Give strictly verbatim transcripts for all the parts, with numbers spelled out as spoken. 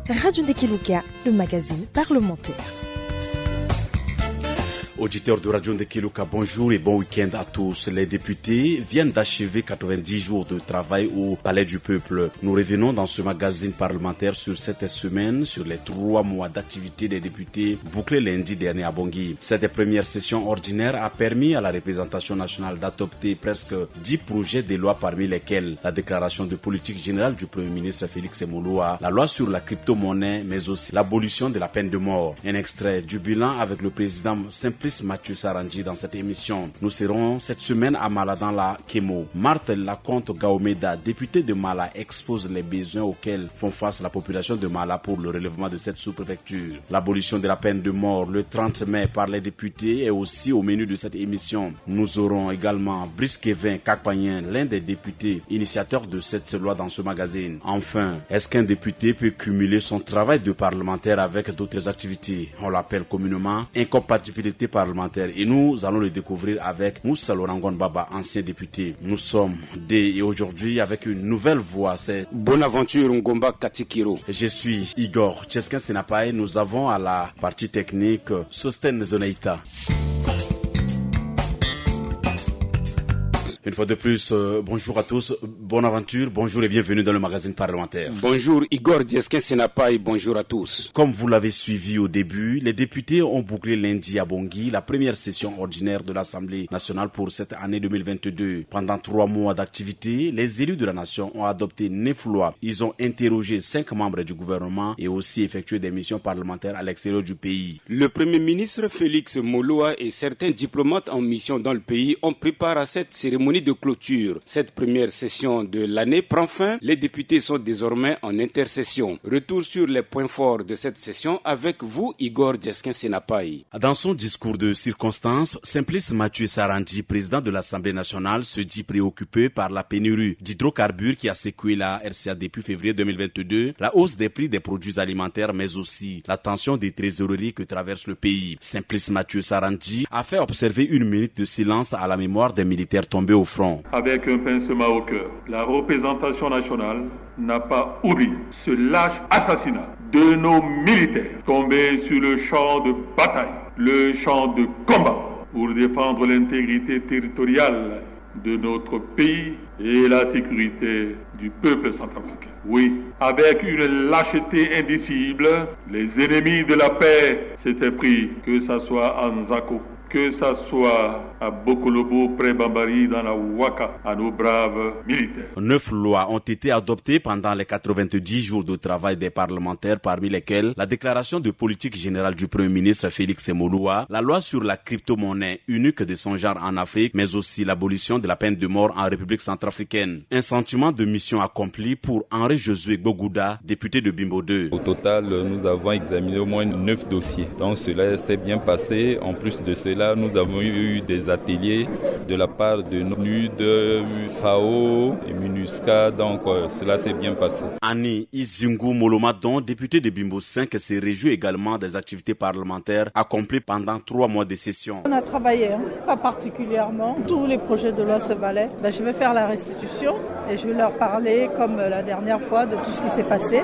Radio Ndekeluka, le magazine parlementaire. Auditeurs de Radio Ndekeluka, bonjour et bon week-end à tous. Les députés viennent d'achever quatre-vingt-dix jours de travail au Palais du Peuple. Nous revenons dans ce magazine parlementaire sur cette semaine, sur les trois mois d'activité des députés bouclés lundi dernier à Bangui. Cette première session ordinaire a permis à la représentation nationale d'adopter presque dix projets de loi, parmi lesquels la déclaration de politique générale du Premier ministre Félix Moloua, la loi sur la crypto-monnaie, mais aussi l'abolition de la peine de mort. Un extrait du bilan avec le président Simplice Mathieu Sarandji dans cette émission. Nous serons cette semaine à Mala dans la Kemo. Marthe Laconte Gaomeda, députée de Mala, expose les besoins auxquels font face la population de Mala pour le relèvement de cette sous-préfecture. L'abolition de la peine de mort le trente mai par les députés est aussi au menu de cette émission. Nous aurons également Brice Kevin Kakpanyen, l'un des députés initiateurs de cette loi, dans ce magazine. Enfin, est-ce qu'un député peut cumuler son travail de parlementaire avec d'autres activités ? On l'appelle communément incompatibilité parlementaire et nous allons le découvrir avec Moussa Lorangon Baba, ancien député. Nous sommes deux et aujourd'hui avec une nouvelle voix, c'est Bonaventure Ngomba Katikiro. Je suis Igor Cheskin Senapai. Nous avons à la partie technique Sosten Zonaita. Une fois de plus, euh, bonjour à tous, bonne aventure, bonjour et bienvenue dans le magazine parlementaire. Bonjour Igor Cheskin Senapai, bonjour à tous. Comme vous l'avez suivi au début, les députés ont bouclé lundi à Bangui la première session ordinaire de l'Assemblée nationale pour cette année deux mille vingt-deux. Pendant trois mois d'activité, les élus de la nation ont adopté neuf lois. Ils ont interrogé cinq membres du gouvernement et aussi effectué des missions parlementaires à l'extérieur du pays. Le Premier ministre Félix Moloua et certains diplomates en mission dans le pays ont pris part à cette cérémonie de clôture. Cette première session de l'année prend fin. Les députés sont désormais en intersession. Retour sur les points forts de cette session avec vous, Igor Cheskin Senapai. Dans son discours de circonstance, Simplice Mathieu Sarandji, président de l'Assemblée nationale, se dit préoccupé par la pénurie d'hydrocarbures qui a secoué la R C A depuis février deux mille vingt-deux, la hausse des prix des produits alimentaires, mais aussi la tension des trésoreries que traverse le pays. Simplice Mathieu Sarandji a fait observer une minute de silence à la mémoire des militaires tombés au front. Avec un pincement au cœur, la représentation nationale n'a pas oublié ce lâche assassinat de nos militaires tombés sur le champ de bataille, le champ de combat, pour défendre l'intégrité territoriale de notre pays et la sécurité du peuple centrafricain. Oui, avec une lâcheté indicible, les ennemis de la paix s'étaient pris, que ça soit à Nzako, que ça soit à Bokolobo, près Bambari, dans la Waka, à nos braves militaires. Neuf lois ont été adoptées pendant les quatre-vingt-dix jours de travail des parlementaires, parmi lesquelles la déclaration de politique générale du Premier ministre Félix Moloua, la loi sur la crypto-monnaie unique de son genre en Afrique, mais aussi l'abolition de la peine de mort en République centrafricaine. Un sentiment de mission accomplie pour Henri Josué Gbogouda, député de Bimbo deux. Au total, nous avons examiné au moins neuf dossiers. Donc cela s'est bien passé. En plus de cela, nous avons eu des ateliers de la part de nos nude, FAO et MINUSCA. Donc euh, cela s'est bien passé. Annie Izingu Molomadon, député de Bimbo cinq, se réjouit également des activités parlementaires accomplies pendant trois mois de session. On a travaillé, hein, pas particulièrement. Tous les projets de loi se valaient. Ben, je vais faire la restitution et je vais leur parler, comme euh, la dernière fois, de tout ce qui s'est passé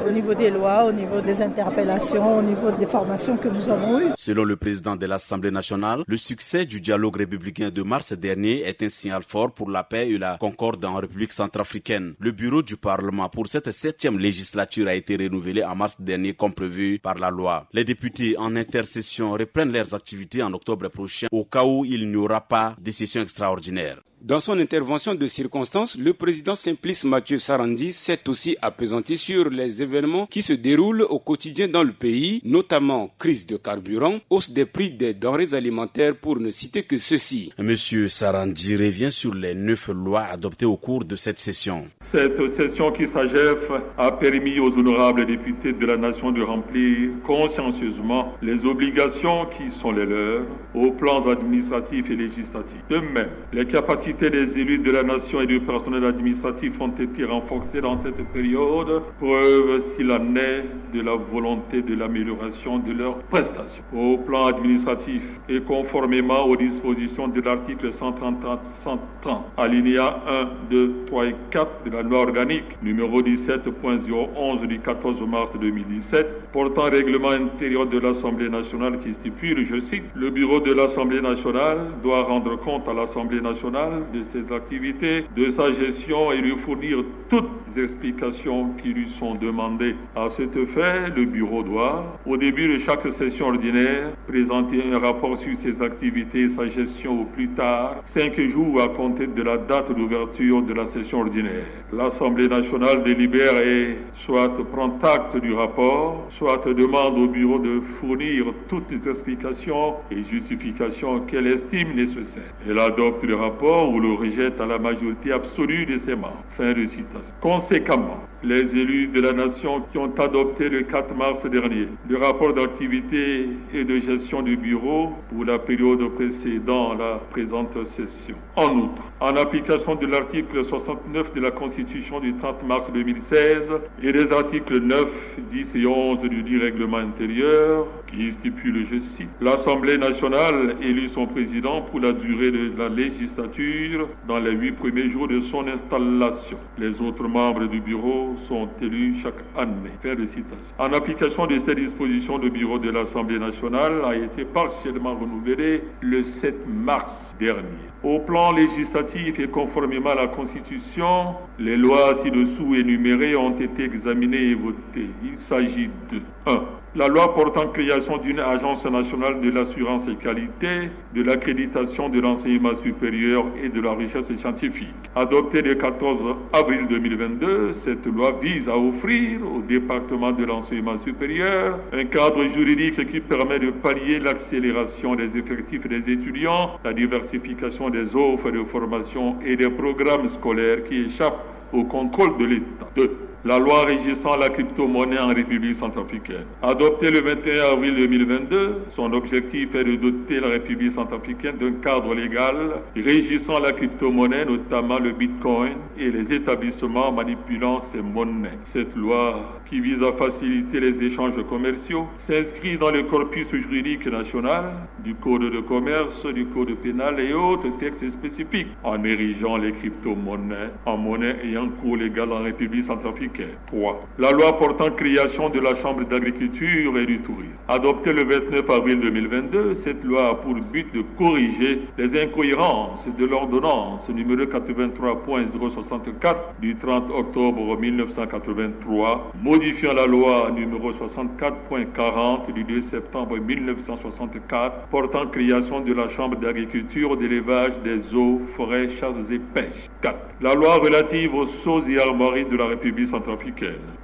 au niveau des lois, au niveau des interpellations, au niveau des formations que nous avons eues. Selon le président de l'Assemblée nationale, le succès du dialogue républicain de mars dernier est un signal fort pour la paix et la concorde en République centrafricaine. Le bureau du Parlement pour cette septième législature a été renouvelé en mars dernier comme prévu par la loi. Les députés en intersession reprennent leurs activités en octobre prochain au cas où il n'y aura pas de session extraordinaire. Dans son intervention de circonstance, le président Simplice Mathieu Sarandji s'est aussi appesanti sur les événements qui se déroulent au quotidien dans le pays, notamment crise de carburant, hausse des prix des denrées alimentaires, pour ne citer que ceux-ci. Monsieur Sarandji revient sur les neuf lois adoptées au cours de cette session. Cette session qui s'achève a permis aux honorables députés de la nation de remplir consciencieusement les obligations qui sont les leurs aux plans administratifs et législatifs. De même, les capacités Les élus de la nation et du personnel administratif ont été renforcés dans cette période, preuve s'il en est de la volonté de l'amélioration de leurs prestations. Au plan administratif, et conformément aux dispositions de l'article cent trente, cent trente, alinéa un, deux, trois et quatre de la loi organique numéro dix-sept point zéro onze du quatorze mars deux mille dix-sept, portant règlement intérieur de l'Assemblée nationale qui stipule, je cite, « Le bureau de l'Assemblée nationale doit rendre compte à l'Assemblée nationale de ses activités, de sa gestion et lui fournir toutes les explications qui lui sont demandées. À cet effet, le bureau doit, au début de chaque session ordinaire, présenter un rapport sur ses activités et sa gestion au plus tard cinq jours à compter de la date d'ouverture de la session ordinaire. » L'Assemblée nationale délibère et soit prend acte du rapport, soit demande au bureau de fournir toutes les explications et justifications qu'elle estime nécessaires. Elle adopte le rapport ou le rejette à la majorité absolue de ses membres. Fin de citation. Conséquemment, les élus de la nation qui ont adopté le quatre mars dernier le rapport d'activité et de gestion du bureau pour la période précédant la présente session. En outre, en application de l'article soixante-neuf de la Constitution du trente mars deux mille seize et des articles neuf, dix et onze du dit règlement intérieur, qui stipule, je cite, « L'Assemblée nationale élit son président pour la durée de la législature dans les huit premiers jours de son installation. Les autres membres du bureau sont élus chaque année. » Fin de citation. En application de ces dispositions, le bureau de l'Assemblée nationale a été partiellement renouvelé le sept mars dernier. Au plan législatif et conformément à la Constitution, les lois ci-dessous énumérées ont été examinées et votées. Il s'agit de un. La loi portant création d'une agence nationale de l'assurance qualité, de l'accréditation de l'enseignement supérieur et de la recherche scientifique. Adoptée le quatorze avril deux mille vingt-deux, cette loi vise à offrir au département de l'enseignement supérieur un cadre juridique qui permet de pallier l'accélération des effectifs des étudiants, la diversification des offres de formation et des programmes scolaires qui échappent au contrôle de l'État. Deux. La loi régissant la crypto-monnaie en République centrafricaine. Adoptée le vingt et un avril deux mille vingt-deux, son objectif est de doter la République centrafricaine d'un cadre légal régissant la crypto-monnaie, notamment le Bitcoin et les établissements manipulant ces monnaies. Cette loi, qui vise à faciliter les échanges commerciaux, s'inscrit dans le corpus juridique national du Code de commerce, du Code pénal et autres textes spécifiques, en érigeant les crypto-monnaies en monnaie ayant cours légal en République centrafricaine. Trois. La loi portant création de la Chambre d'agriculture et du tourisme. Adoptée le vingt-neuf avril deux mille vingt-deux, cette loi a pour but de corriger les incohérences de l'ordonnance numéro quatre-vingt-trois point zéro soixante-quatre du trente octobre mille neuf cent quatre-vingt-trois, modifiant la loi numéro soixante-quatre point quarante du deux septembre mille neuf cent soixante-quatre, portant création de la Chambre d'agriculture, d'élevage, des eaux, forêts, chasses et pêches. Quatre. La loi relative aux sceaux et armoiries de la République centrafricaine.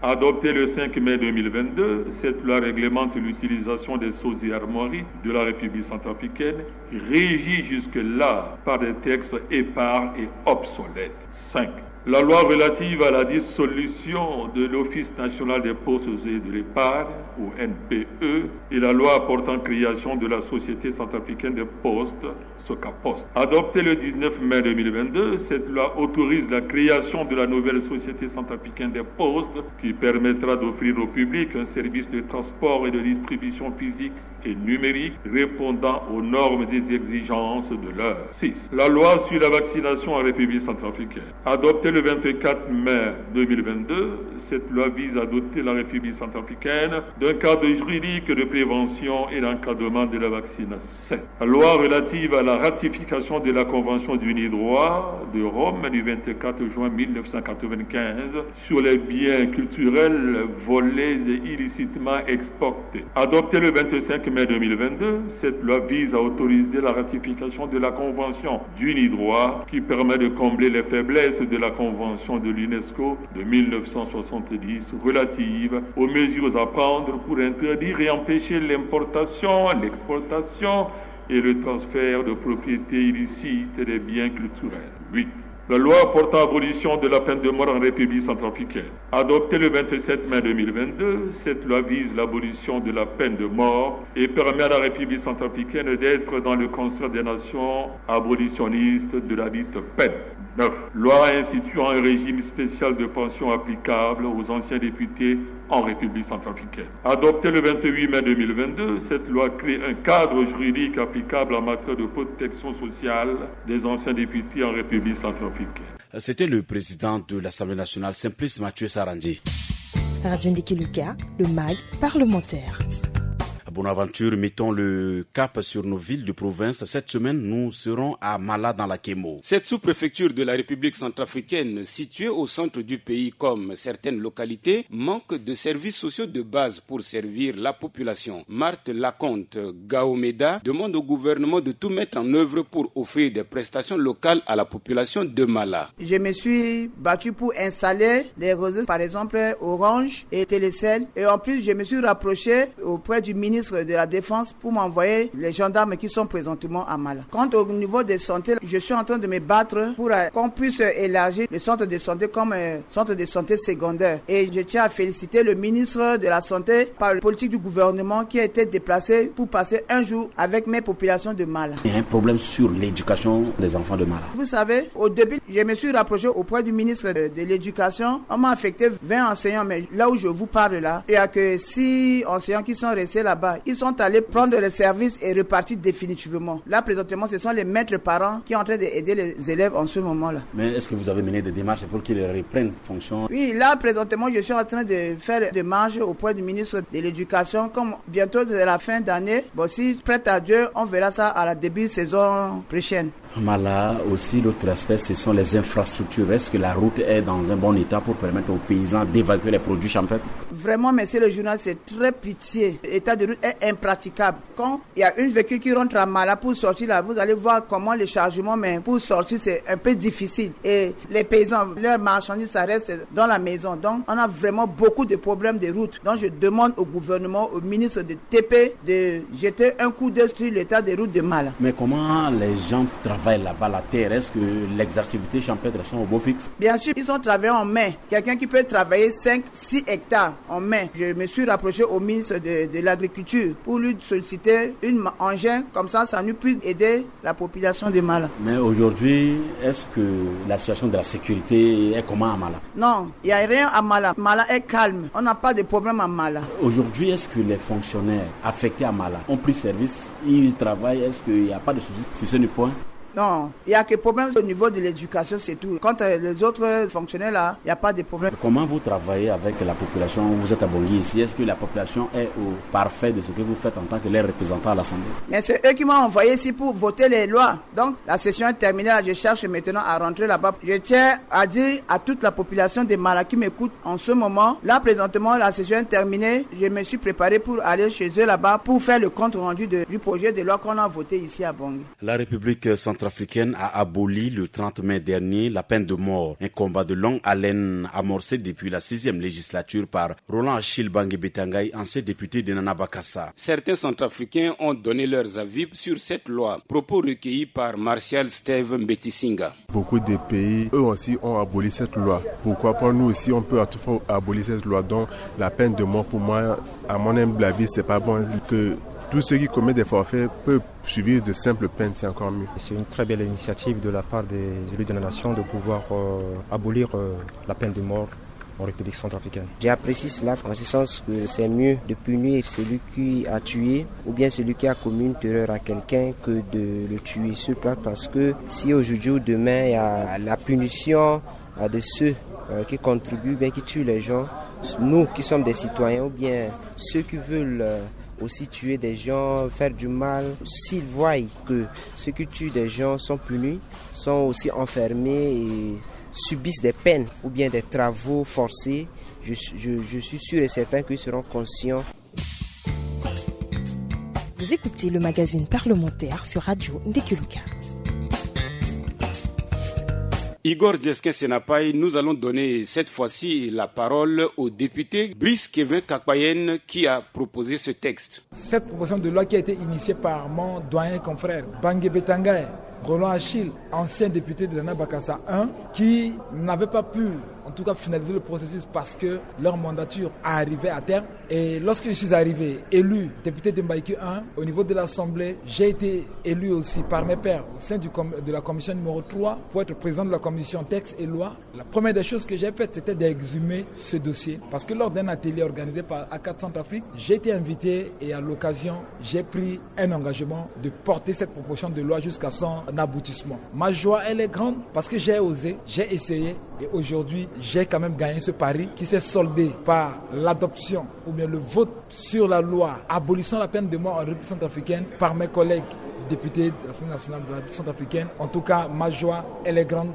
Adoptée le cinq mai deux mille vingt-deux, cette loi réglemente l'utilisation des sceaux et armoiries de la République centrafricaine, régie jusque-là par des textes épars et obsolètes. Cinq. La loi relative à la dissolution de l'Office national des postes et de l'épargne, ou N P E, et la loi portant création de la Société centrafricaine des postes, Socapost. Adoptée le dix-neuf mai deux mille vingt-deux, cette loi autorise la création de la nouvelle Société centrafricaine des postes, qui permettra d'offrir au public un service de transport et de distribution physique et numérique répondant aux normes et exigences de l'heure. Six. La loi sur la vaccination en République centrafricaine. Adoptée le vingt-quatre mai deux mille vingt-deux, cette loi vise à doter la République centrafricaine d'un cadre juridique de prévention et d'encadrement de la vaccination. Sept. La loi relative à la ratification de la Convention du Nidroit de Rome du vingt-quatre juin mille neuf cent quatre-vingt-quinze sur les biens culturels volés et illicitement exportés. Adoptée le vingt-cinq mai deux mille vingt-deux, cette loi vise à autoriser la ratification de la Convention du Nidroit qui permet de combler les faiblesses de la Convention de l'UNESCO de mille neuf cent soixante-dix relative aux mesures à prendre pour interdire et empêcher l'importation, l'exportation et le transfert de propriété illicite des biens culturels. Huit. La loi portant abolition de la peine de mort en République centrafricaine. Adoptée le vingt-sept mai deux mille vingt-deux, cette loi vise l'abolition de la peine de mort et permet à la République centrafricaine d'être dans le concert des nations abolitionnistes de la dite peine. Neuf. Loi instituant un régime spécial de pension applicable aux anciens députés en République centrafricaine. Adoptée le vingt-huit mai deux mille vingt-deux, cette loi crée un cadre juridique applicable en matière de protection sociale des anciens députés en République centrafricaine. C'était le président de l'Assemblée nationale, Simplice Mathieu Sarandji. Radio Ndiki Luka, le mag parlementaire. Bonne aventure, mettons le cap sur nos villes de province. Cette semaine, nous serons à Mala dans la Kemo. Cette sous-préfecture de la République centrafricaine, située au centre du pays comme certaines localités, manque de services sociaux de base pour servir la population. Marthe Laconte Gaomeda demande au gouvernement de tout mettre en œuvre pour offrir des prestations locales à la population de Mala. Je me suis battu pour installer les réseaux, par exemple Orange et Télécel. Et en plus, je me suis rapproché auprès du ministre de la Défense pour m'envoyer les gendarmes qui sont présentement à Mala. Quant au niveau de santé, je suis en train de me battre pour euh, qu'on puisse élargir le centre de santé comme euh, centre de santé secondaire. Et je tiens à féliciter le ministre de la Santé par la politique du gouvernement qui a été déplacé pour passer un jour avec mes populations de Mala. Il y a un problème sur l'éducation des enfants de Mala. Vous savez, au début, je me suis rapproché auprès du ministre de, de l'Éducation. On m'a affecté vingt enseignants, mais là où je vous parle là, il n'y a que six enseignants qui sont restés là-bas. Ils sont allés prendre le service et repartir définitivement. Là, présentement, ce sont les maîtres parents qui sont en train d'aider les élèves en ce moment-là. Mais est-ce que vous avez mené des démarches pour qu'ils reprennent fonction ? Oui, là, présentement, je suis en train de faire des démarches auprès du ministre de l'Éducation. Comme bientôt, c'est la fin d'année, bon, si prête à Dieu, on verra ça à la début saison prochaine. Mala, aussi, l'autre aspect, ce sont les infrastructures. Est-ce que la route est dans un bon état pour permettre aux paysans d'évacuer les produits champêtres ? Vraiment, monsieur le journal, c'est très pitié. L'état de route est impraticable. Quand il y a une véhicule qui rentre à Mala pour sortir là, vous allez voir comment le chargement, mais pour sortir, c'est un peu difficile. Et les paysans, leurs marchandises, ça reste dans la maison. Donc, on a vraiment beaucoup de problèmes de route. Donc, je demande au gouvernement, au ministre de T P, de jeter un coup d'œil sur l'état des routes de Mala. Mais comment les gens travaillent là-bas, la terre ? Est-ce que les activités champêtres sont au beau fixe ? Bien sûr, ils sont travaillés en main. Quelqu'un qui peut travailler cinq, six hectares en main. Je me suis rapproché au ministre de, de l'Agriculture pour lui solliciter une ma-, engin, comme ça, ça nous puisse aider la population de Mala. Mais aujourd'hui, est-ce que la situation de la sécurité est comment à Mala ? Non, il n'y a rien à Mala. Mala est calme. On n'a pas de problème à Mala. Aujourd'hui, est-ce que les fonctionnaires affectés à Mala ont pris service ? Ils travaillent. Est-ce qu'il n'y a pas de soucis sur ce point ? Non, il n'y a que problème au niveau de l'éducation, c'est tout. Quant à les autres fonctionnaires là, il n'y a pas de problème. Comment vous travaillez avec la population ? Vous êtes à Bangui ici. Est-ce que la population est au parfait de ce que vous faites en tant que les représentants à l'Assemblée ? Mais c'est eux qui m'ont envoyé ici pour voter les lois. Donc, la session est terminée. Là, je cherche maintenant à rentrer là-bas. Je tiens à dire à toute la population de Mala qui m'écoute en ce moment. Là, présentement, la session est terminée. Je me suis préparé pour aller chez eux là-bas pour faire le compte rendu de, du projet de loi qu'on a voté ici à Bangui. La République centrafricaine a aboli le trente mai dernier la peine de mort, un combat de longue haleine amorcé depuis la sixième législature par Roland Achille Bangui Betangay, ancien député de Nana Bakassa. Certains centrafricains ont donné leurs avis sur cette loi, propos recueillis par Martial Steve Mbetisinga. Beaucoup de pays, eux aussi, ont aboli cette loi. Pourquoi pas nous aussi, on peut à tout fois abolir cette loi dont la peine de mort, pour moi, à mon humble avis, c'est pas bon que tous ceux qui commettent des forfaits peuvent suivi de simples peines, c'est encore mieux. C'est une très belle initiative de la part des élus de la nation de pouvoir euh, abolir euh, la peine de mort en République centrafricaine. J'apprécie cela en ce sens que c'est mieux de punir celui qui a tué ou bien celui qui a commis une terreur à quelqu'un que de le tuer sur place, parce que si aujourd'hui ou demain il y a la punition euh, de ceux euh, qui contribuent, bien qui tuent les gens, nous qui sommes des citoyens ou bien ceux qui veulent euh, aussi tuer des gens, faire du mal, s'ils voient que ceux qui tuent des gens sont punis, sont aussi enfermés et subissent des peines ou bien des travaux forcés, je, je, je suis sûr et certain qu'ils seront conscients. Vous écoutez le magazine parlementaire sur Radio Ndekeluka. Igor Djeskin Senapai, nous allons donner cette fois-ci la parole au député Brice Kevin Kakpayen qui a proposé ce texte. Cette proposition de loi qui a été initiée par mon doyen confrère Bangui Betangay, Roland Achille, ancien député de l'Ana Bakassa un, qui n'avait pas pu, en tout cas, finaliser le processus parce que leur mandature arrivait à terme. Et lorsque je suis arrivé élu député de Mbaïki un, au niveau de l'Assemblée, j'ai été élu aussi par mes pairs au sein du com- de la commission numéro trois pour être président de la commission texte et loi. La première des choses que j'ai faites, c'était d'exhumer ce dossier. Parce que lors d'un atelier organisé par A quatre Centrafrique, j'ai été invité et à l'occasion, j'ai pris un engagement de porter cette proposition de loi jusqu'à son aboutissement. Ma joie, elle est grande parce que j'ai osé, j'ai essayé et aujourd'hui, j'ai quand même gagné ce pari qui s'est soldé par l'adoption ou bien le vote sur la loi abolissant la peine de mort en République centrafricaine par mes collègues députés de l'Assemblée nationale de la République centrafricaine. En tout cas, ma joie, elle est grande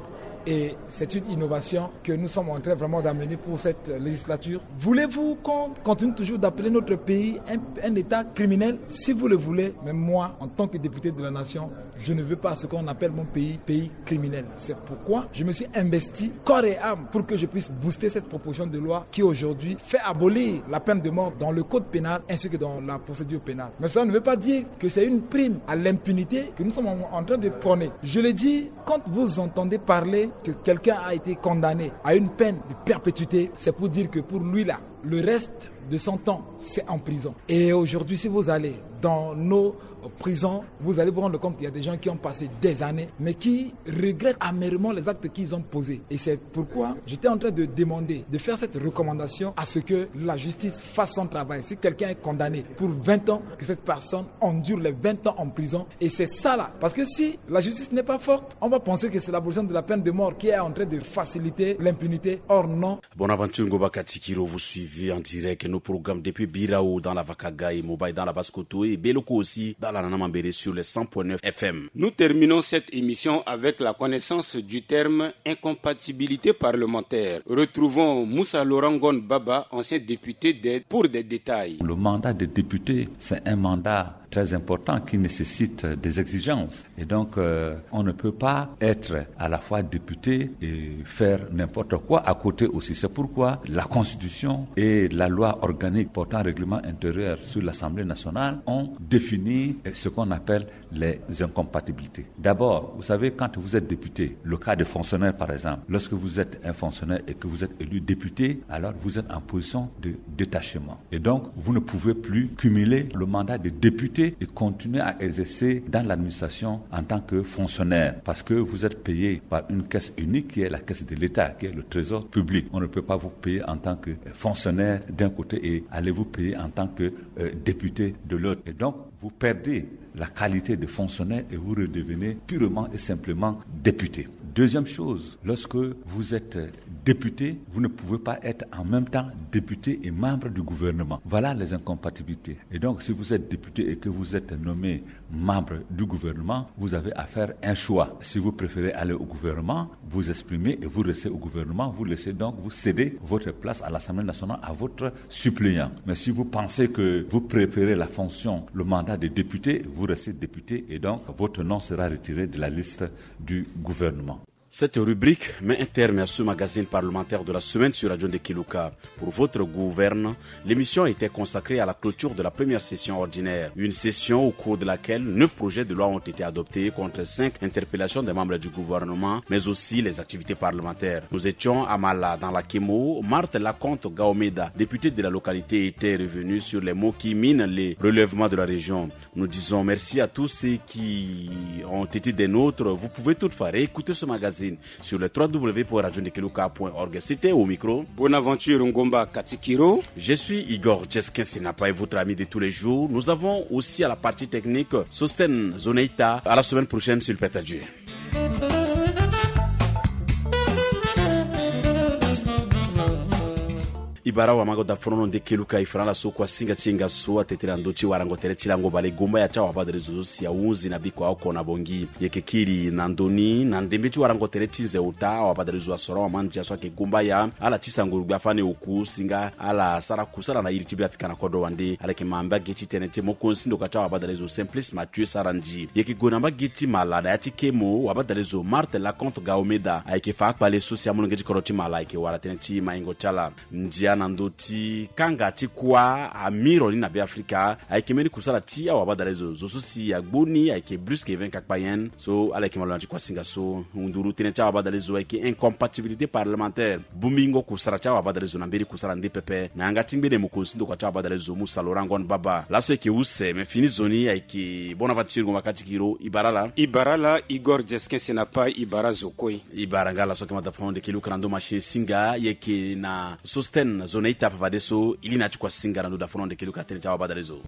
et c'est une innovation que nous sommes en train vraiment d'amener pour cette législature. Voulez-vous qu'on continue toujours d'appeler notre pays un, un État criminel ? Si vous le voulez, mais moi, en tant que député de la nation, je ne veux pas ce qu'on appelle mon pays, pays criminel. C'est pourquoi je me suis investi corps et âme pour que je puisse booster cette proposition de loi qui aujourd'hui fait abolir la peine de mort dans le code pénal ainsi que dans la procédure pénale. Mais cela ne veut pas dire que c'est une prime à l'impunité que nous sommes en, en train de prôner. Je le dis, quand vous entendez parler que quelqu'un a été condamné à une peine de perpétuité, c'est pour dire que pour lui là, le reste de son temps, c'est en prison. Et aujourd'hui, si vous allez dans nos prisons, vous allez vous rendre compte qu'il y a des gens qui ont passé des années, mais qui regrettent amèrement les actes qu'ils ont posés. Et c'est pourquoi j'étais en train de demander, de faire cette recommandation à ce que la justice fasse son travail. Si quelqu'un est condamné pour vingt ans, que cette personne endure les vingt ans en prison. Et c'est ça là. Parce que si la justice n'est pas forte, on va penser que c'est l'abolition de la peine de mort qui est en train de faciliter l'impunité. Or non. Bonaventure Ngoba Katikiro, vous suivez en direct nos programmes depuis Birao dans la Vakaga et Mobaye dans la Basse-Kotto et Beloko aussi dans la Nana Mambéré sur les cent point neuf F M. Nous terminons cette émission avec la connaissance du terme incompatibilité parlementaire. Retrouvons Moussa Laurent Ngon Baba, ancien député d'Aide, pour des détails. Le mandat de député, c'est un mandat très important qui nécessite des exigences. Et donc, euh, on ne peut pas être à la fois député et faire n'importe quoi à côté aussi. C'est pourquoi la Constitution et la loi organique portant règlement intérieur sur l'Assemblée nationale ont défini, euh, ce qu'on appelle les incompatibilités. D'abord, vous savez, quand vous êtes député, le cas de fonctionnaire par exemple, lorsque vous êtes un fonctionnaire et que vous êtes élu député, alors vous êtes en position de détachement. Et donc, vous ne pouvez plus cumuler le mandat de député et continuer à exercer dans l'administration en tant que fonctionnaire, parce que vous êtes payé par une caisse unique qui est la caisse de l'État, qui est le trésor public. On ne peut pas vous payer en tant que fonctionnaire d'un côté et aller vous payer en tant que, euh, député de l'autre. Et donc, vous perdez la qualité de fonctionnaire et vous redevenez purement et simplement député. Deuxième chose, lorsque vous êtes député, vous ne pouvez pas être en même temps député et membre du gouvernement. Voilà les incompatibilités. Et donc, si vous êtes député et que vous êtes nommé membre du gouvernement, vous avez à faire un choix. Si vous préférez aller au gouvernement, vous exprimez et vous restez au gouvernement, vous laissez donc, vous cédez votre place à l'Assemblée nationale à votre suppléant. Mais si vous pensez que vous préférez la fonction, le mandat de député, vous restez député et donc votre nom sera retiré de la liste du gouvernement. Cette rubrique met un terme à ce magazine parlementaire de la semaine sur Radio Ndekeluka. Pour votre gouverne, l'émission était consacrée à la clôture de la première session ordinaire. Une session au cours de laquelle neuf projets de loi ont été adoptés contre cinq interpellations des membres du gouvernement, mais aussi les activités parlementaires. Nous étions à Mala, dans la Kemo. Marthe Laconte Gaomeda, députée de la localité, était revenue sur les maux qui minent les relèvements de la région. Nous disons merci à tous ceux qui ont été des nôtres. Vous pouvez toutefois réécouter ce magazine sur le trois w w w point radio ndekeluka point org. C'était au micro Bonaventure Ngomba Katikiro. Je suis Igor Jeskin Sinapa et votre ami de tous les jours. Nous avons aussi à la partie technique Sosten Zoneita. À la semaine prochaine, s'il plaît à Dieu. I bara wa mago da fono no nde keluka i fana la so kua singa ti hinga so atete na ndö ti warango tere ti lango bale gomba ya ti awabadre zo zo si ahunzi na biko aoko na bongi. Yeke kiri na ndö ni na ndembe ti warango tere ti nze ota awabadre zo asoro amandia so ayeke gomba ya ala ti sango rugbe afani oku singa ala sara kusala na iri ti be afika na kodro wande ala yeke ma mbage ti tënë ti mokonzi ti ndoka ti awabadre zo Simplice Mathieu Sarandji. Yeke gue na mbage ti Mala na ya ti Kemo wabadre zo Marthe Laconte Gaomeda ayeke fa akpale so si amolenge ti kodro ti Mala ayeke wara tënë ti maingo ti ala. Ndia na na ndö ti kanga ti kuâ amiro ni na Beafrika. Ayeke mbeni kusala ti awabadalezo zo so si agbu ni ayeke Bruce Kevin Kakpayen so ala yeke malo na ti kuasinga so. Nduru tënë ti awabadalezo ayeke incompatibilité parlementaire. Bongbingo kusala ti awabadalezo na mbeni kusala nde pepe na yanga ti ngbene mokonzi ti ndokua ti awabadalezo Musa Laurent Ngon Baba. Laso ayeke use me fini zo ni ayeke Bonaventure Ngoma Katikiro. I bara ala. I bara ala Igor Jeskin Senapa. I bara zo kue. I bara nga laso ayeke mata fano ndeke luka na ndö machine singa ye yeke na Sosten zo na ita fafadeso. I li na ya ti kuasinga na ndö da fano ndeke luka tënë ti awabadalezo.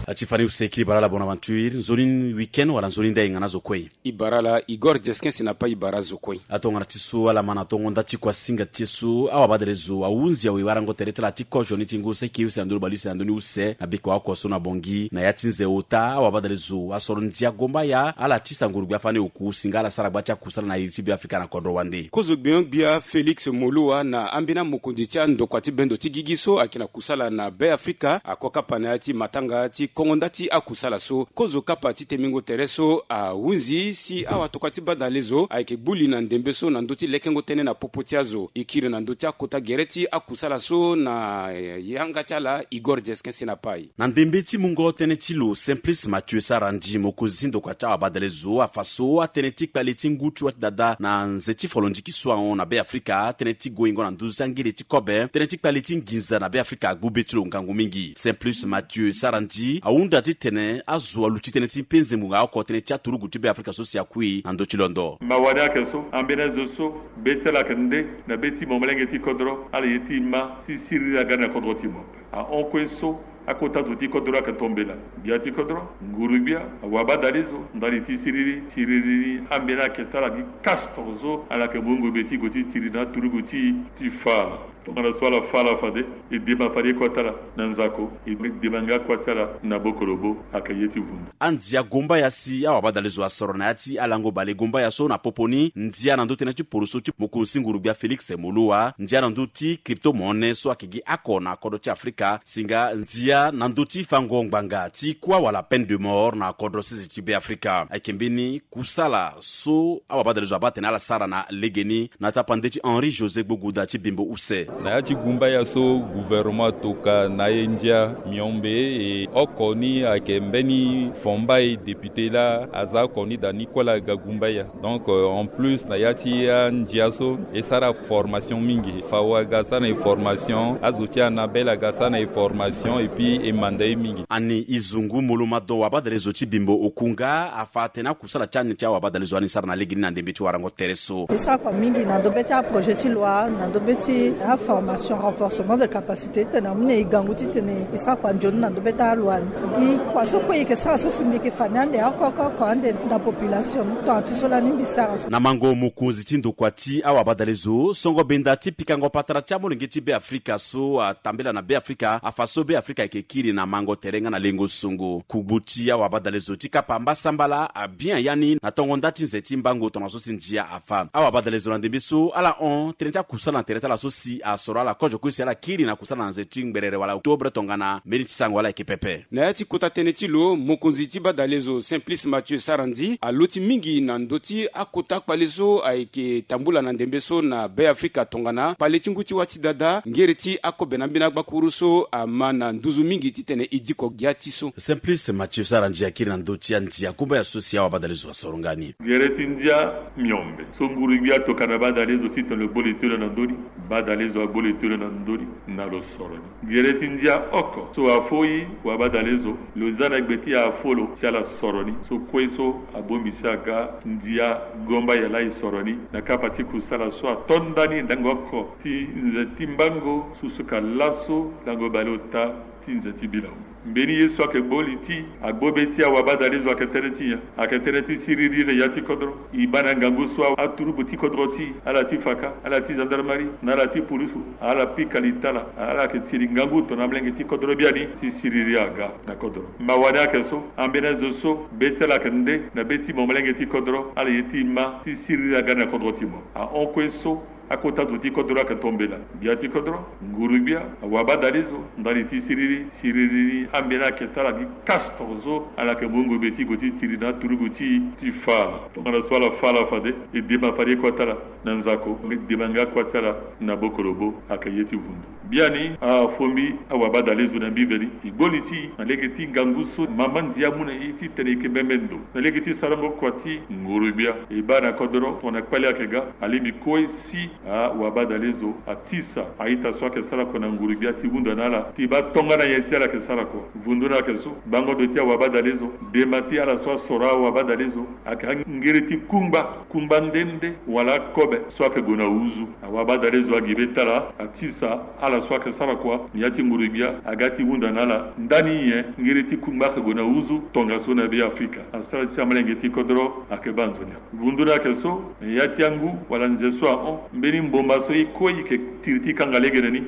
Ati fani use kiri bara ala Bonaventure, nzoni week-end wala nzoni ndai nga na zo kue. I bara ala Igor Jeskin Senapa. I bara zo kue. Atongana ti so ala ma na tongo nda ti kuasinga ti e so awabadalezo ahunzi awe warango tere ti ala ti kozo ni ti ngu seke use na ndö bali use na ndö ni use na biko oko so na Bongi na ya ti nze ota awabadalezo asoro ndia gombaya ala ti sango rugbia fani oku singa ala sara gba ti akusala na iri ti Beafrika na kodro wande. Kozo gbion-gbia Félix Moloua na ambeni amokonzi ti andokua ti bendo ti gigi so ayeke na kusala na Beafrika ako kapa na ya ti matanga ti kongo nda ti akusala so. Kozo kapa ti temingo tere so ahunzi si awatokua ti badalezo ayeke gbu li na ndembe so na ndö ti lekengo tënë na popo ti azo. E kiri na ndö ti akota gere ti akusala so na yanga ti ala Igor Jeskin Senapa. Na ndembe ti mungo tënë ti lo Simplice Mathieu Sarandji mokonzi ti ndokua ti awabadalezo afa so atënë ti kpale ti ngu ti wa ti dada na nze ti folondiki so ahon na Beafrika tënë ti goingo na nduzu ti angere ti kobe tënë ti kpale ti nginza na Beafrika agbu be ti lo ngangu mingi. Simplice Mathieu Sarandji ahunda titene azo aluti tënë ti mpe nzengbunga oko tënë ti aturugu ti Beafrika so si akui na ndö ti londo. Mawa ni ayeke so ambeni azo so be ti ala ayeke nde na be ti mo molenge ti kodro ala ye ti ma ti siriri aga na kodro ti mo. Ahon kue so akota zo ti kodro ayeke tombela, gbia ti kodro, nguru-gbia, awabadalezo ndali ti siriri. Siriri ni ambeni ayeke ti ala gi kastre so ala yeke mungo be ti gue ti tiri na aturugu ti e ti fa ala. Tongana so ala fa ala fade e dema fade e kua ti ala na nzako, e dema nga kua ti ala na bokolobo. Ayeke ye ti vundu. Andia gombaya si awabadalezo asoro na ya ti alango bale gombaya so na popo ni ndia na ndö tënë ti poroso ti mokonzi nguru-gbia Félix Moloua, ndia na ndö ti crypto-monnaie so ayeke gi oko na kodro ti Afrika, singa ndia na ndö ti fango ngbanga ti kuâ wala peine de mort na kodro sese ti Beafrika. Ayeke mbeni kusala so awabadalezo abaa atene ala sara na legeni na tapande ti Henri José Gbogouda ti Bimbo Use. Na ya ti gumbaya so gouvernement atoka na e ndia miombe e oko ni ayeke mbeni fomba e député laa aza oko ni da ni kue laa aga gumbaya. Donc euh, en plus na ya ti andia so e sara formation mingi. Fao aga sara na e formation, azo ti Anabel aga sara na e formation et puis e manda e mingi. Ani e zungu molo madon wabadalezo ti Bimbo Okunga afa atene akusala ti ani ti awabadalezo ani sara na legeni na ndembe ti warango tere so. E sara kua mingi na ndö be ti aprojet ti loi, na ndö be ti aformation, renforcement de capacité titene amu na e gangu titene e sara kua nzoni na ndö be ti aloi ni. Gi kua so kue e yeke sara so si mbi yeke fa ni ande oko oko oko ande na population ni. Tongana ti so lani mbi sara so. Na mango mokonzi ti ndokua ti awabadalezo songo benda ti pikango patara ti amolenge ti Beafrika so atambela na Beafrika afa so Beafrika ayeke kiri na mango tere nga na lengo songo. Kugbu ti awabadalezo ti kapa mbasambala abien ya ni na tongo nda ti nze ti mbango tongana so si ndia afa. Awabadalezo na ndembe so ala hon tënë ti akusala na tere ti ala so si asoro ala kozo kue si ala kiri na kusala na nze ti ngberere wala octobre tongana mbeni ti sango ala yeke pepe. Na ya ti kota tënë ti lo, mokonzi ti badalezo Simplice Mathieu Sarandji aloti mingi na ndö ti akota kpale so ayeke tambula na ndembe so na Beafrika tongana kpale ti ngu ti wa ti dada ngere ti akobe na ambeni agbakuru so ama na nduzu mingi titene e diko gia ti so. Simplice Mathieu Sarandji akiri na ndö ti andia kumbaya so si awabadalezo asoro nga ni. Gere ti ndia miombe so nguru-gbia atoka na badalezo titene lo gbo li ti lo na ndö ni. Badalezo agbo li ti lo na ndö ni na lo soro ni. Gere ti ndia oko so afo e wabadalezo lo za na gbe ti afo lo si ala soro ni. So kue so abongbi si aga ndia gombaya laa e soro ni na kapa ti kusala so ato ndani ndango oko ti nze ti mbango susuka laso lango baleota ti nze ti bilango. Mbeni ye so ayeke gbo li ti agbo be ti awabadalezo ayeke tënë ti nyen? Ayeke tënë ti siriri na ya ti kodro. E baa na ngangu so aturugu ti kodro ti ala ti faka, ala ti gendarmerie na ala ti pulusu ala pika li ti ala. Ala yeke tiri ngangu tongana amolenge ti kodro biani ti siriri aga na kodro. Mawa ni ayeke so ambeni azo so be ti ala ayeke nde na be ti mo molenge ti kodro ala ye ti ma ti siriri aga na kodro ti mo. Ahon kue so Akota zo ti kodro ayeke tombela. Gbia ti kodro, nguru-gbia, awabadale zo, ndali ti siriri, siriri ni ambeni ayeke tara gi cache tongana so ala yeke mu ngobe ti gue ti tiri na aturugu ti e ti fa ala. Tongana so ala fa ala fade, e dema fade e kota ala na nzako, e dema nga kota ala na bokolobo, ayeke ye ti vundu. Biani afombi awabadale zo na mbi veni, e gbo li ti e na lege ti ngangu so mama ndia amu na e titene e yeke mbembe ndo na lege ti sarango kua ti nguru-gbia. E baa na kodro tongana kpale ayeke ga, alingbi kue si awabadale zo atisa a-ita so ayeke sara kua na nguru-gbia ti hunda na ala ti baa tongana nyen si ala yeke sara kua. Vundu ni ayeke so, bango ndo ti awabadale zo, dema ti ala so asoro awabadale zo, ayeke angere ti kungba, kungba nde nde wala akobe so ayeke gue na huzu. Awabadale zo agi be ti ala atisa ala so ayeke sara kua na ya ti nguru-gbia aga ti hunda na ala ndani nyen ngere ti kungba ayeke gue na huzu tongaso na Be Afrika. Asara ti amalenge ti kodro ayeke baa nzoni ape. Vundu ni ayeke so, na ya ti angu wala nze so ahon, mbeni mboma so e kue e yeke tiri ti kanga legene ni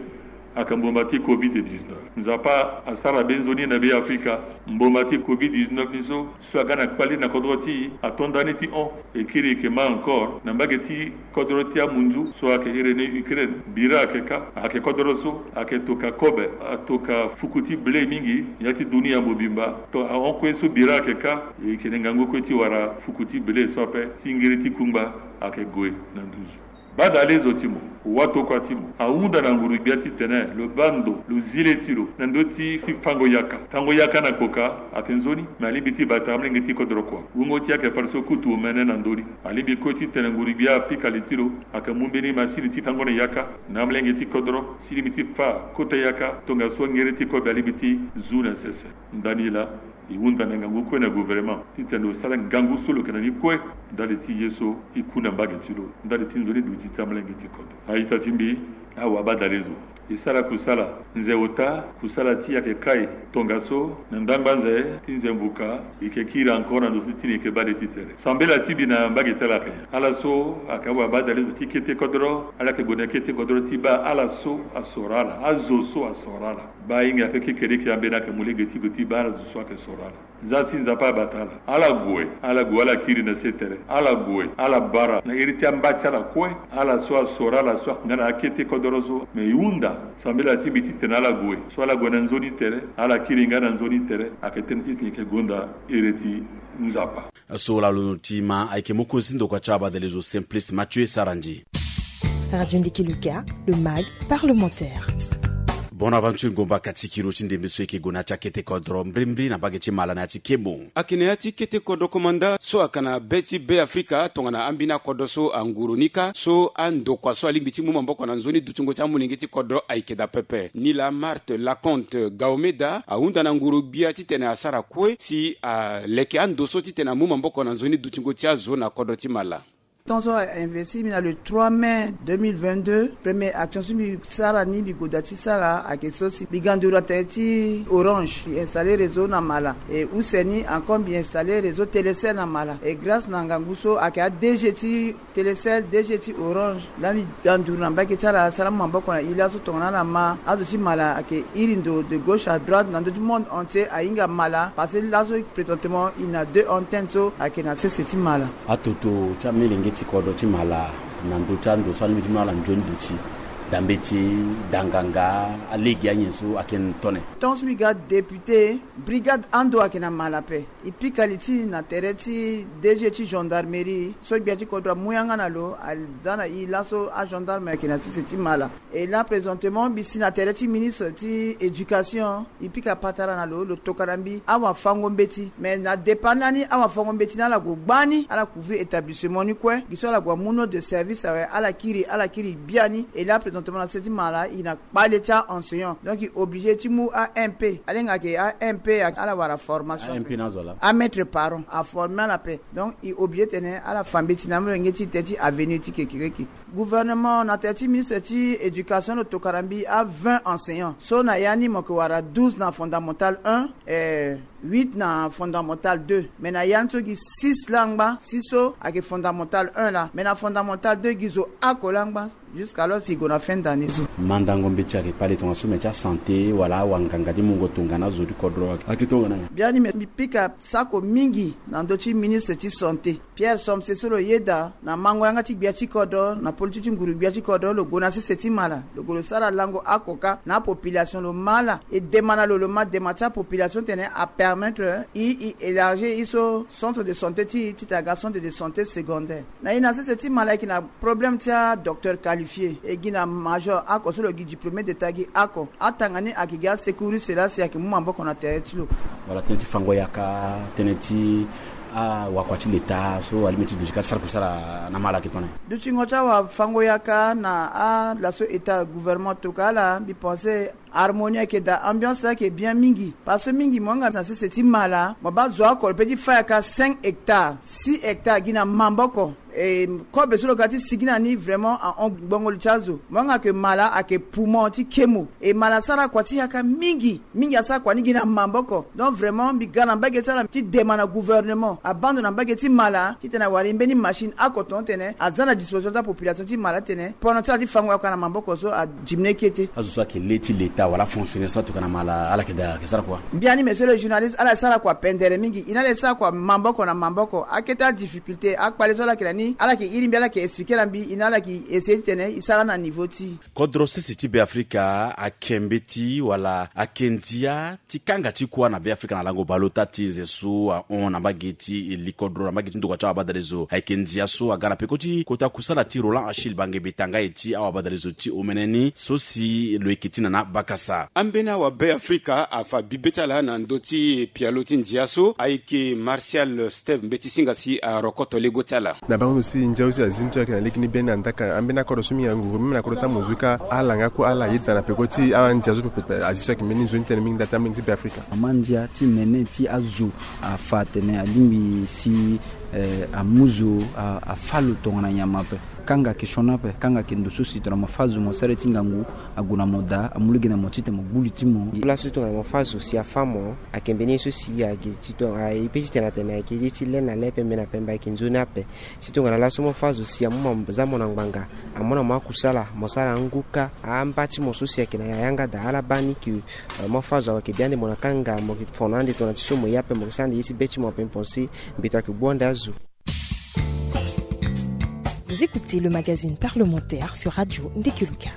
ayeke mboma ti covid dix-neuf. Nzapa asara be nzoni na Be Afrika. Mboma ti covid dix-neuf ni so, so aga na kpali na kodro ti e, ato ndani ti hon. E kiri e yeke ma encore na mbage ti kodro ti amunzu so ayeke iri ni Ukraine. Bira ayeke ka, ayeke kodro so ayeke toka kobe, atoka fuku ti blé mingi na ya ti dunia mobimba. To ahon kue so bira ayeke ka, e yeke na ngangu kue ti wara fuku ti blé so ape, ti ngiri ti kungba ayeke gue na nduzu. Badale zo ti mo, watokua ti mo, ahunda na nguru-gbia titene lo baa ndo, lo zi le ti lo na ndö ti, ti fango yaka. Fango yaka na kpoka ayeke nzoni, me alingbi ti bata amalenge ti kodro kua. Wungo ti e ayeke fade so kutu omene na ndö ni. Alingbi kue titene nguru-gbia apika li ti lo, ayeke mu mbeni masini ti fango na yaka na amalenge ti kodro, si lingbi ti fa kota yaka, tongaso ngere ti kobe alingbi ti zu na sese. Ndani laa, e hunda na ngangu kue na gouvernement titene lo sara ngangu so lo yeke na ni kue ndali ti ye so e ku na mbage ti lo, ndali ti nzoni duti ti amalenge ti kodro. A-ita ti mbi, awabadale zo, e sara kusala. Nze ota, kusala ti e ayeke kai. Tongaso na ndangba nze ti nze mvuka, e yeke kiri encore na ndo so ti tene e yeke baa le ti tere. Sambela ti mbi na mbage ti ala ayeke nyen? Ala so ayeke awabadale zo ti kete kodro, ala yeke gue na kete kodro ti baa ala so asoro ala, azo so asoro ala. Baa hinga ape kekereke ambeni ayeke mu lege ti gue ti baa ala zo so ayeke soro ala. Nzapa si Nzapa abata ala. Ala gue, ala gue, ala kiri na se tere. Ala gue, ala bara na iri ti amba ti ala kue. Ala so asoro ala so ayeke nga na akete kodro so. Me e hunda sambela ti mbi titene ala gue. So ala gue na nzoni tere, ala kiri nga na nzoni tere. Ayeke tënë titene e yeke gonda iri ti Nzapa. So lalo ti ma ayeke mokonzi ti ndokua ti abadale zo Simplice Mathieu Sarandji. Radio Ndiki Luka, le mag parlementaire. Bonaventure Ngomba Katikiro ti ndembe so e yeke gue na ya ti akete kodro mbrimbri na mbage ti Mala na ya ti kemo. Ayeke na ya ti kete kodro komanda so ayeke na be ti Be Afrika tongana ambeni akodro so anguru ni kâ, so andokua so alingbi ti mu maboko na nzoni dutingo ti amolenge ti kodro ayeke daa pepe. Ni laa Marthe Laconte Gaomeda ahunda na nguru-gbia titene asara kue si aleke ando so titene amu maboko na nzoni dutingo ti azo na kodro ti Mala. Tant so a investir mbi na le trois mai deux mille vingt-deux, première action so mbi sara ni mbi goda ti sara ayeke so si mbi ga nduru na tere ti Orange, mbi installer réseau na Mala. E use ni encore mbi installer réseau Telecel na Mala. E grâce na ngangu so ayeke a DG ti Telecel, DG ti Orange, laa mbi ga nduru na mbage ti ala, sara mu maboko na e laso tongana ala ma azo ti Mala ayeke iri ndo de gauche à droite na ndö ti monde entier ahinga Mala, parce que laso présentement e na deux antennes so ayeke na sese ti Mala. Atoto ti amolenge ti kodro ti Mala na ndö ti ando so alingbi ti mu na ala nzoni duti, dambe ti danganga, alege, anyen so ayeke tone. Tant so mbi ga député, brigade ando ayeke na Mala ape. E pika li ti na tere ti DG ti gendarmerie so gbia ti kodro amu yanga na lo, aza na e laso agendarme ayeke na sese ti Mala. E là présentement mbi si na tere ti ministre ti éducation, e pika patara na lo, lo tokua na mbi awafango mbeti. Mais na départ lani awafango mbeti ni ala gue gbani, ala couvrir établissement ni kue. Gi so ala gue amu note de service awe, ala kiri, ala kiri biani. E là présentement na sese ti Mala e na kpale ti a-enseignant. Donc e obligé ti mu a-MP. Alenga ayeke a-MP, ala wara formation. A-MP ni azo laa? A-maître parent, aformer ala ape. Donc e obligé tene ala fa mbeti na amolenge ti e tere ti avenir ti kekereke. Gouvernement na tere ti ministre ti éducation lo tokua na mbi a-vingt enseignants. So na ya ni mo yeke wara douze na fondamental un, eh, huit na fondamental deux. Mais na ya ni so gi six laa angba, six so ayeke fondamental un laa. Mais na fondamental deux gi zo oko laa angba. Jusqu'alors e gue na fin d'année so. Mandango mbeti ayeke kpale tongaso me ti asanté wala awanganga ti mungo tongana azo ti kodro ayeke tongana. Biani me mbi pika sako mingi na ndö ti ministre ti santé Pierre Somse so lo yeda na mango yanga ti gbia ti kodro na poli ti ti nguru gbia ti kodro lo gue na sese ti mala lo gue lo sara lango oko kâ na apopulation lo ma ala e dema na lo lo ma dema ti apopulation ti tene apermettre i i élargir i so centre de santé ti i titene aga centre de santé secondaire. Na i na sese ti mala ayeke na problème ti adocteur qualifié e gi na major oko so lo gi diplômé d'état gi oko atanga ni ayeke gi asecouriste laa si ayeke mu maboko na tere ti lo. Wala tënë ti fango yaka tënë ti awakua ti leta so alingbi ti duti ka ti sara kusala na mala ayeke tongana nyen? Dutingo ti awafango yaka na ala so état gouvernement tokua ala mbi pense harmonie ayeke daa ambiance ayeke bien mingi parce que mingi mo yanga na sese ti mala mo baa zo oko lo pe ti fa yaka cinq hectares six hectares gi na maboko. E kobe so lo ga ti sigi na ni vraiment ahon gbongo li ti azo mo yanga ke mala ayeke poumon ti kemo e mala asara kua ti yaka mingi mingi asara kua ni gi na maboko. Donc vraiment mbi ga na mbage ti ala ti dema na gouvernement abaa ndo na mbage ti mala titene awara e mbeni machine oko tongana tene aza na disposition ti apopulation ti mala titene pono ti ala ti fango yaka na maboko so adiminuer kete. Azo so ayeke le ti leta wala afonctionnaire so atuka na mala ala yeke daa ayeke sara kua. Mbiani monsieur le journaliste ala sara kua pendere mingi i na ala e sara kua maboko na maboko akete adifficulté akpale so ala yeke na ni ala yeke iri mbi ala yeke expliquer na mbi i na ala yeke essayer titene i sara na niveau ti i. Kodro sese ti Beafrika ayeke mbeti wala ayeke ndia ti kanga ti kuâ na Beafrika na lango baleota ti nze so ahon na mbage ti likodro na mbage ti ndokua ti awabadalezo ayeke ndia so aga na peko ti kota kusala ti Roland Achille Bangembe Tangaye ti awabadalezo ti omene ni so si lo yeke ti na na bakasa. Ambeni awabeafrika afa bibe ti ala na ndö ti pialo ti ndia so ayeke Martial Steve mbeti singa si arokoto lego ti ala. Na bango ndo si ndia so si azi ni so ayeke na lege ni be ni na ndaka ambeni akodro so mingi anguru meme na kodro ti amozu ka ala nga kue ala yeda na peko ti andia so pepe azi so ayeke mbeni nzoni tënë mingi nda ti ambeni ti Beafrika. Mama ndia ti nene ti azo afa atene alingbi si eh, amu zo a- afâ lo tongana nyama ape. Kanga ayeke sioni ape kanga ayeke ndo so si tongana mo fâ zo mo sara ye ti ngangu ague na mo daa amu lege na mo titene mo gbu li ti mo. Laso tongana mo fâ zo si afâ mo ayeke mbeni ye so si ayeke ti tongana e pe titene atene ayeke ye ti le na le pembe na pembe ayeke nzoni ape. Si tongana laso mo fâ zo si amu mo za mo na ngbanga amu na mo akusala mo sara angu kâ amba ti mo so si ayeke na yanga daa ala baa ni ke eh, mo fâ zo ayeke bia ande mo na kanga mo yeke fono ande tongana ti so mo ye ape mo yeke sara ande ye ti be ti mo ape mpo si mbeto ayeke gbu ande azo. Vous écoutez le magazine parlementaire sur Radio Ndekeluka.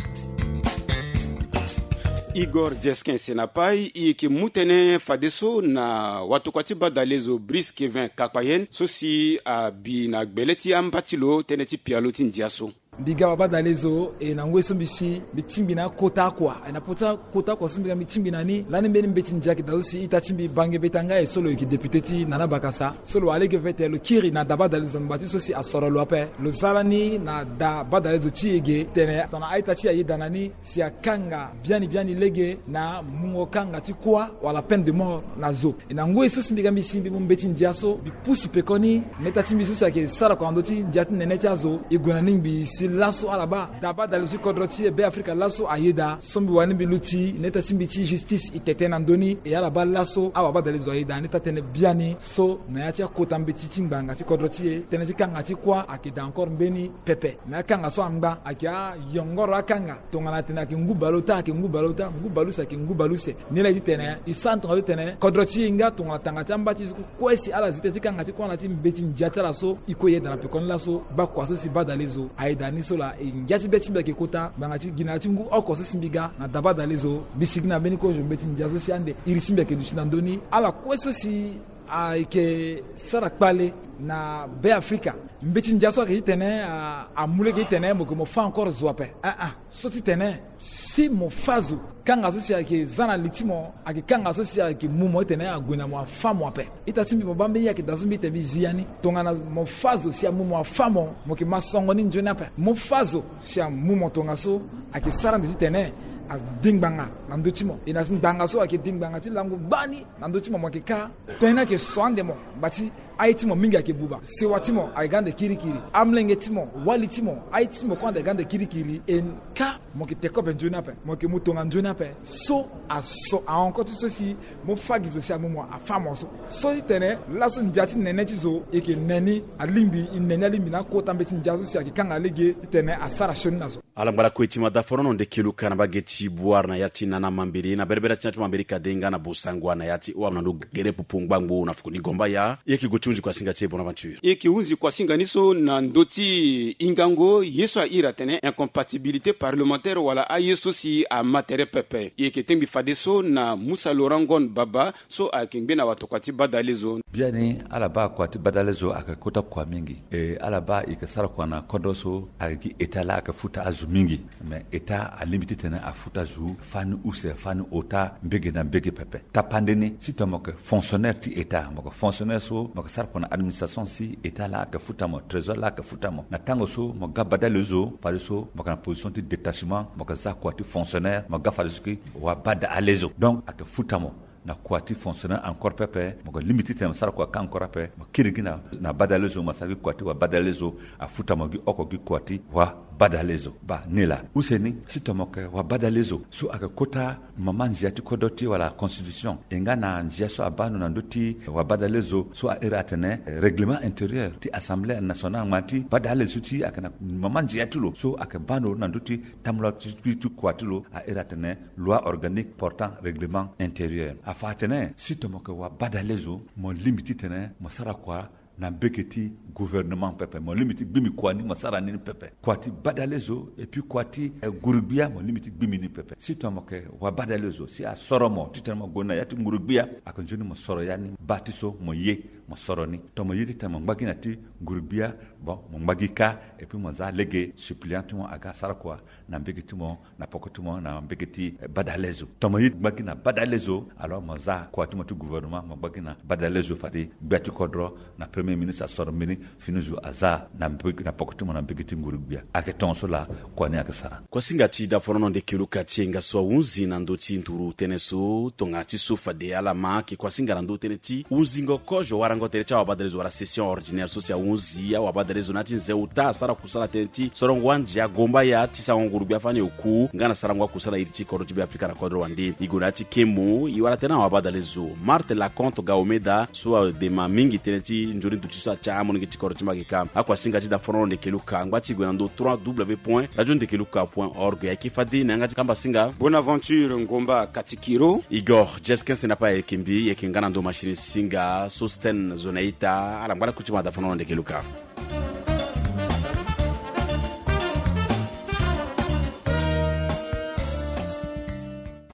Igor Jeskin Senapai i yeke mu tënë fadeso na watokua ti badalezo Brice Kevin Kakpayen so si abi na gbele ti amba ti lo tënë ti pialo ti ndia so. Mbi ga babadalezo e na ngoi so mbi si mbi tingbi na akota akua e na pota kota akua so mbi ga mbi tingbi na ni lani mbeni mbeti ndia ayeke daa so si ita ti mbi Bangembe Tangaye so lo yeke député ti Nana Bakasa so lo wara lege vete lo kiri na dabadalezo na ngba ti so si asoro lo ape lo za lani na dabadalezo ti e ge tene tongana a-ita ti e ayeda na ni si akanga biani biani lege na mungo kanga ti kuâ wala peine de mort na zo. E na ngoi so si mbi ga mbi si mbi mu mbeti ndia so mbi pusu pekoni na ita ti mbi so si ayeke sara kua na ndö ti ndia ti nene ti azo e gue na ni ngbii si laso ala baa dabadalezo ti kodro ti e Beafrika laso ayeda so mbi wani mbi luti na ita ti mbi ti justice e tete na ndö ni e ala baa laso awabadalezo ayeda na ita tënë biani so na ya ti akota mbeti ti ngbanga ti kodro ti e tënë ti kanga ti kuâ ayeke daa encore mbeni pepe. Me akanga so angba ayeke ayongoro akanga tongana atene ayeke ngu baleota ayeke ngu baleota ngu baleuse ayeke ngu baleuse. Ni laa e ti tene e sara tongana ti tene kodro ti e nga tongana tanga ti amba ti e so kue si ala zi tënë ti kanga ti kuâ na ti mbeti ndia ti ala so e kue e yeda na pekoni laso bakua so si badalezo ayeda ni so laa e ngia ti be ti mbi ayeke kota ngbanga ti gi na ya ti ngu oko so si mbi ga na dabadalezo mbi sigi na mbeni kozo mbeti ndia so si ande iri ti mbi ayeke duti na ndö ni ala kue so si ayeke sara kpale na Beafrika. Mbeti ndia so ayeke ti tene a- amu lege ti tene mo yeke mo fâ encore zo ape. Aa so ti tene si mo fâ zo kanga so si ayeke za na li ti mo ayeke kanga so si ayeke mu mo ti tene ague na mo afâ mo ape. Ita ti mbi mo baa mbeni ye ayeke daa so mbi ti tene mbi zi ya ni tongana mo fâ zo si amu mo afâ mo mo yeke ma songo ni nzoni ape. Mo fâ zo si amu mo tongaso ayeke sara ande ti tene adi ngbanga na ndö ti mo e na ngbanga so ayeke di ngbanga ti lango gbani na ndö ti mo mo yeke kâ. Tënë ni ayeke so ande mo ngba ti Aye ti mo mingi ayeke buba. Sewa ti mo ayeke ga ande kirikiri. Amolenge ti mo, wali ti mo, aye ti mo kue ande ga ande kirikiri. E ka mo yeke te kobe nzoni ape, mo yeke mu tonga nzoni ape. So aso ahon ko ti so si mo fa gi zo si amu mo afa mo so. So ti tene laso ndia ti nene ti zo e yeke ne ni alingbi, e ne ni alingbi na akota mbeti ndia so si ayeke kanga lege titene asara sioni na zo. Ala ngbara kue ti ma da forono nde kelu ka na mbage ti Bouar na ya ti Nana Mambiri, na berebere ti na ti Mambiri Kadenga na Bosangwa na ya ti Ouam na ndo gere popo ngbangbo na fukuni Gombaya. E yeke gue ti hunzi kuasinga ti e Bonaventure. E yeke hunzi kuasinga ni so na ndö ti hingango ye so a iri atene incompatibilité parlementaire wala aye so si ama tere pepe. E yeke tengbi fadeso na Moussa Laurent Ngon Baba so ayeke ngbene awatokua ti badalezo. Biani ala baa kua ti badalezo ayeke kota kua mingi. E ala baa e yeke sara kua na kodro so ayeke gi état laa ayeke futa azo mingi. Me état alingbi titene afuta zo fani use fani ota mbege na mbege pepe. Tapande ni si tongana mo yeke fonctionnaire ti état, mo yeke fonctionnaire so mo yeke sara kua na administration si état laa ayeke futa mo, trésor laa ayeke futa mo. Na tango so mo ga badalezo fadeso mo yeke na position ti détachement, mo yeke za kua ti fonctionnaire, mo ga fadeso ki wabadalezo. Donc ayeke futa mo na kua ti fonctionnaire encore pepe, mo yeke lingbi titene mo sara kua ka encore ape, mo kiri gi na, na badalezo, mo sara gi kua ti wabadalezo, afuta mo gi oko gi kua ti wabadalezo. Baa ni laa. Use ni, si tongana mo yeke wabadalezo so ayeke kota mama nzia ti kodro ti wala constitution, e nga na nzia so abaa ndo na ndö ti wabadalezo so a iri atene, eh, règlement intérieur ti Assemblée nationale, ngbanga ti badalezo ti ayeke na mama nzia ti lo so ayeke baa ndo na ndö ti tambula ti, ti, ti kua ti lo, a iri atene loi organique portant règlement intérieur. Afa atene si tongana mo yeke wabadalezo, mo lingbi titene mo sara kua na mbege ti gouvernement pepe, mo lingbi ti gbingbi kua ni mo sara ni ni pepe. Kua ti badalezo et puis kua ti, eh, nguru-gbia mo lingbi ti gbingbi ni pepe. Si tongana mo yeke wabadalezo si asoro mo titene mo gue na ya ti nguru-gbia, ayeke nzoni mo soro ya ni, baa ti so mo ye mo soro ni. Tongana mo ye titene mo ngba gi na ya ti nguru-gbia, bon, mo ngba gi kâ, et puis mo za lege suppléant ti mo aga sara kua na mbege ti mo, na poko ti mo, na mbege ti, eh, badalezo. Tongana mo ye ti ngba gi na badalezo, alors mo za kua ti mo ti gouvernement, mo ngba gi na badalezo fade gbia ti kodro na premier ministre asoro mbeni fini zo aza na mbe-, na poko ti mo na mbege ti nguru-gbia. Ayeke tongaso laa kua ni ayeke sara. Kuasinga ti daforono nde kelu ka ti e nga so ahunzi na ndö ti nduru tënë so, tongana ti so fade ala ma ayeke kuasinga na ndö tënë ti hunzingo kozo warango tere ti awabadalezo wala session ordinaire so si ahunzi awabadalezo na ya ti nze ota asara kusala tënë ti sorongo andia Gombaya ti sarango nguru-gbia fani oku nga na sarango akusala iri ti kodro ti Beafrika na kodro wande. E gue na ya ti kemo e wara tënë na awabadalezo Marthe Laconte Gaomeda so adema mingi tënë ti nzoni duti so atia amolenge ti kodro ti mbage ka. Akuasinga ti daforono nde kelu ka ngba ti gue na ndö trois w point radio nde kelu ka point org. Ayeke fade na yanga ti kambasinga Bonaventure Ngomba Katikiro. Igor Jeskens na pa ayeke mbi, ayeke nga na ndo machine singa Sosten Zonaita. Ala ngbara kuti ma daforono nde kelu ka.